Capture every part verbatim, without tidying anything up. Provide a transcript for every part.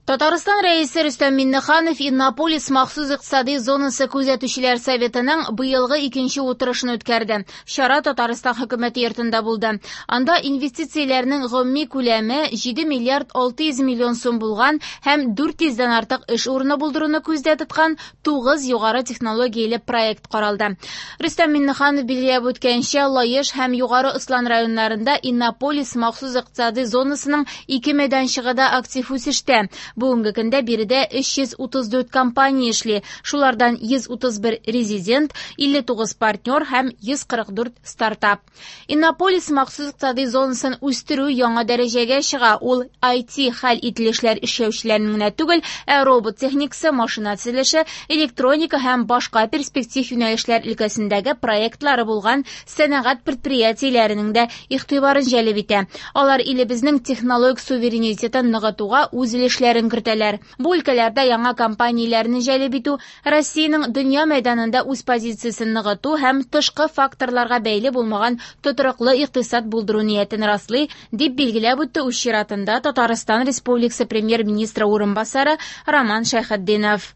Татарстан Рәисе Рөстәм Миңнеханов Иннополис махсус икътисади зонасы күзәтүчеләр советының быелгы икенче утырышын үткәрде. Чара Татарстан хөкүмәте йортында булды. Анда инвестицияләрнең гомуми күләме җиде миллиард алты йөз миллион сум булган һәм дүрт йөздән артык эш урыны булдыруны күздә тоткан тугыз югары технологияле проект каралды. Рөстәм Миңнеханов билгеләп үткәнчә, Лаеш һәм Югары Ослан районнарында Иннополис махсус икътисади зонасының ике мәйданчыгы да актив үсештә. Бүгенге көндә биредә өч йөз утыз дүрт компания эшли. Шулардан йөз утыз бер резидент, илле тугыз партнер һәм йөз кырык дүрт стартап. Иннополис махсус икътисади зонасын үстерү яңа дәрәҗәгә чыга. Ул ай ти хәл ителешләр эшләүчеләрнең генә түгел, ә робот техникасы, машина төзелеше, электроника һәм башка перспектив юнәлешләр өлкәсендәге проектлары булган сәнәгать предприятиеләренең дә игътибарын җәлеп итә. Алар илебезнең технологик суверенитетын ныгытуга үз өлешләрен кертәләр. Бу өлкәләрдә яңа компанияләрне җәлеп итү, Россиянең дөнья мәйданында үз позициясен ныгыту һәм тышкы факторларга бәйле булмаган тотрыклы икътисад булдыру ниятен раслый, дип билгеләп үтте үз чиратында Татарстан Республикасы премьер-министры урынбасары Роман Шәйхетдинов.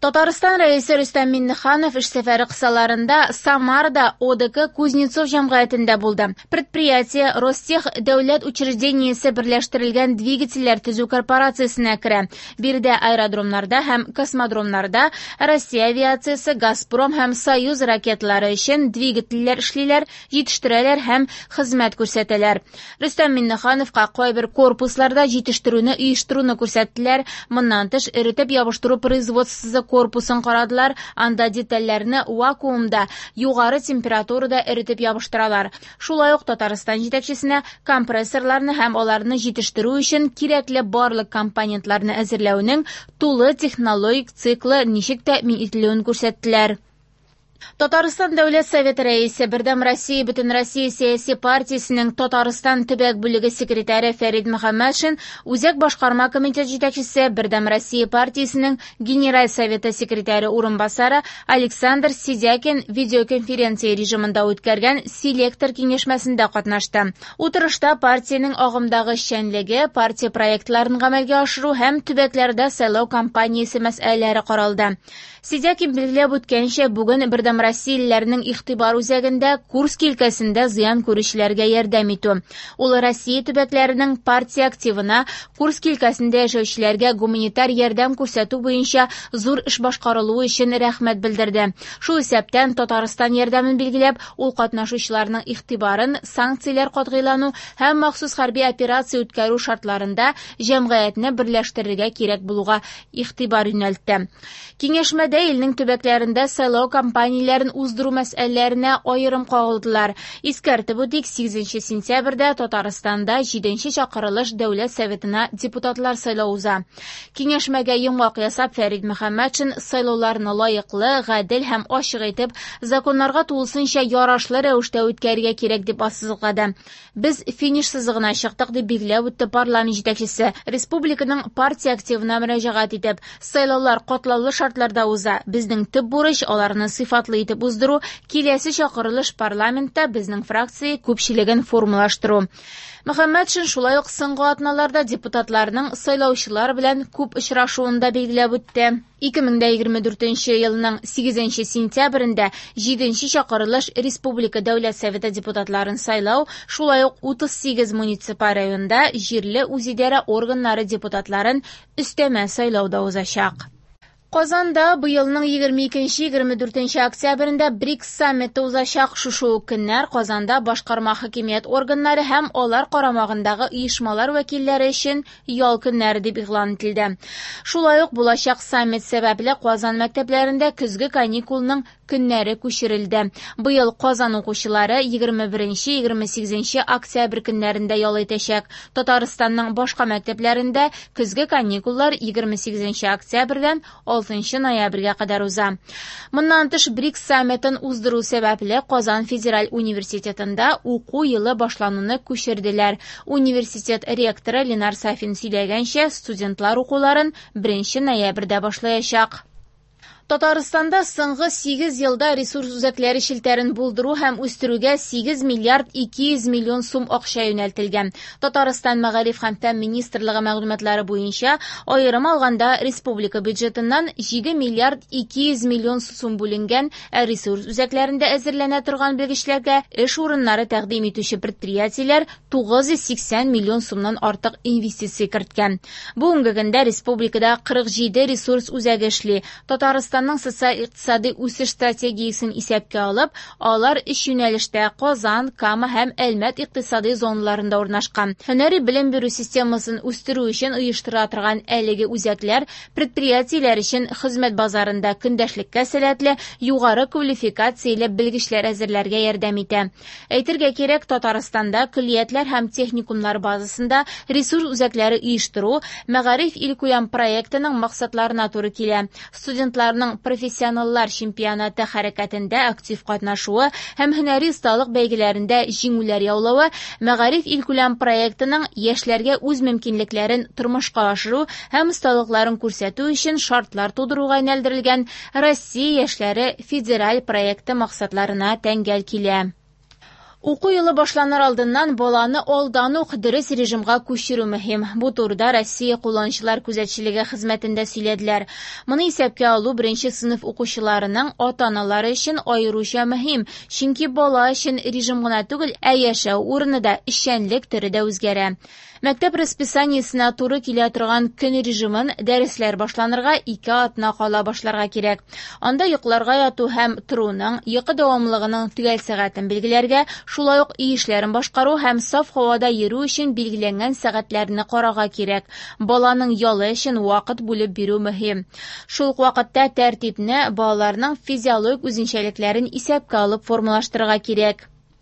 Татарстан Рәисе Рөстәм Миңнеханов эш сәфәре кысаларында Самарада О Д К Кузнецов җәмгыятендә булды. Предприятие Ростех дәүләт учреждениесе берләштерелгән двигательләр төзү корпорациясенә керә. Биредә аэродромнарда һәм космодромнарда Россия авиациясе, Газпром һәм Союз ракеталары өчен двигательләр эшлиләр, җитештерәләр һәм хезмәт күрсәтәләр. Рөстәм Миңнехановка кайбер корпусларда җитештерүне оештыруны күрсәттеләр. Моннан тыш эретеп ябыштыру производствосы корпусын карадылар, анда детальләрне вакуумда, югары температурада эретеп ябыштыралар. Шулай ук Татарстан җитәкчесенә компрессорларны һәм аларны җитештерү өчен кирәкле барлык компонентларны әзерләүнең тулы технологик циклы ничек тәэмин ителүен күрсәттеләр. Татарстан Дәүләт Советы рәисе, Бердәм Россия Бөтенроссия сәяси партиясенең Татарстан төбәк бүлеге секретаре Фәрид Мөхәммәтшин, Үзәк башкарма комитет җитәкчесе, Бердәм Россия партиясенең Генераль Советы секретаре урынбасары Александр Сидякин видеоконференция режимында үткәргән селектор киңәшмәсендә катнашты. Утырышта партиянең агымдагы эшчәнлеге, партия проектларын гамәлгә ашыру һәм төбәкләрдә сайлау кампаниясе мәсьәләләре каралды. Сидякин билгеләп үткәнчә, бүген Бердәм Россиялеләрнең игътибар үзәгендә Курск өлкәсендә зыян күрүчеләргә ярдәм итү. Ул Россия төбәкләренең партия активына Курск өлкәсендә яшәүчеләргә гуманитар ярдәм күрсәтү буенча зур эш башкарылуы өчен рәхмәт белдерде. Шул исәптән Татарстан ярдәмен билгеләп, ул катнашучыларның игътибарын санкцияләр катгыйлану һәм махсус хәрби операция үткәрү шартларында җәмгыятьне берләштерергә кирәк булуга игътибар юнәлтте. Киңәшмәдә илнең төбәкләрендә сайлау кампанияләрен уздыру мәсьәләләренә аерым кагылдылар. Искәртеп үтик, сигезенче сентябрьдә Татарстанда җиденче чакырылыш Дәүләт Советына депутатлар сайлау уза. Киңәшмәгә йомгак ясап, Фәрид Мөхәммәтшин сайлауларны лаеклы, гадел һәм ачык итеп, законнарга тулысынча ярашлы рәвештә үткәрергә кирәк дип ассызыклады. Без финиш сызыгына чыктык дип билгеләп үтте парламент җитәкчесе. Республиканың партия активына мөрәҗәгать итеп, сайлаулар катлаулы шартларда уза. Безнең төп бурыч аларны сыйфатлы итеп уздыру, киләсе чакырылыш парламентта безнең фракция күпчелеген формалаштыру. Мөхәммәтшин шулай ук соңгы атналарда депутатларның сайлаучылар белән күп очрашуын да билгеләп үтте. Ике мең дә егерме дүртенче елның сигезенче сентябрендә җиденче чакырылыш Республика Дәүләт Советы депутатларын сайлау, шулай ук утыз сигез муниципаль районда җирле үзидарә органнары депутатларын өстәмә сайлауда узачак. Казанда быелның егерме икенче, егерме дүртенче октябрендә БРИКС саммиты узачак. Шушы ук көннәр Казанда башкарма хакимият органнары һәм алар карамагындагы оешмалар вәкилләре өчен ял көннәре дип игълан ителде. Шулай ук булачак саммит сәбәпле Казан мәктәпләрендә көзге каникулның көннәре күчерелде. Быел Казан укучылары егерме беренче, егерме сигезенче октябрь көннәрендә ял итәчәк. Татарстанның башка мәктәпләрендә көзге каникуллар егерме сигезенче октябрьдән алтынчы ноябрьгә кадәр уза. Моннан тыш БРИКС саммитын уздыру сәбәпле Казан федераль университетында уку елы башлануны күчерделәр. Университет ректоры Ленар Сафин сөйләгәнчә, студентлар укуларын беренче ноябрьдә башлаячак. Татарстанда соңгы сигез елда ресурс үзәкләре челтәрен булдыру һәм үстерүгә сигез миллиард ике йөз миллион сум акча юнәлтелгән. Татарстан Мәгариф һәм фән министрлыгы мәгълүматлары буенча, аерым алганда, республика бюджетыннан җиде миллиард ике йөз миллион сум бүленгән, ә ресурс үзәкләрендә әзерләнә торган белгечләргә эш урыннары тәкъдим итүче предприятиеләр тугыз йөз сиксән миллион сумнан артык инвестиция керткән. Бүгенге көндә республикада кырык җиде ресурс үзәге эшли. Татарстан социаль-икътисади үсеш стратегиясен исәпкә алып, алар өч юнәлештә Казан, Кама һәм Әлмәт икътисади зоналарында урнашкан. Һөнәри белем бирү системасын үстерү өчен оештырыла торган әлеге үзәкләр предприятиеләр өчен хезмәт базарында көндәшлеккә сәләтле, югары квалификацияле белгечләр әзерләргә ярдәм итә. Әйтергә кирәк, Татарстанда көллиятләр һәм техникумнар базасында ресурс үзәкләре оештыру Мәгариф илкүләм проектының максатларына туры килә. Студентларның профессионаллар чемпионаты хәрәкәтендә актив катнашуы һәм һөнәри осталык бәйгеләрендә җиңүләр яулавы Мәгариф илкүләм проектының яшьләргә үз мөмкинлекләрен тормышка ашыру һәм осталыкларын күрсәтү өчен шартлар тудыруга юнәлдерелгән Россия яшьләре федераль проекты максатларына тәңгәл килә. Уку елы башланыр алдыннан баланы алдан ук дөрес режимга күчерү мөһим. Бу турыда Россия кулланучылар күзәтчелеге хезмәтендә сөйләделәр. Моны исәпкә алу беренче сыйныф укучыларының ата-аналары өчен аеруча мөһим, чөнки бала өчен режим гына түгел, ә яшәү урыны да, эшчәнлек төре дә үзгәрә. Мәктәп расписаниесенә туры килә торган көн режимын дәресләр башланырга ике атна кала башларга кирәк. Анда йокларга яту һәм торуның, йокы дәвамлыгының төгәл сәгатен билгеләргә, шулай ук өй эшләрен башкару һәм саф һавада йөрү өчен билгеләнгән сәгатьләрне карарга кирәк. Баланың ялы өчен вакыт бүлеп бирү мөһим. Шул ук вакытта тәртипне балаларның физиологик үзенчәлекләрен исәпкә алып формалаштырырга кирәк.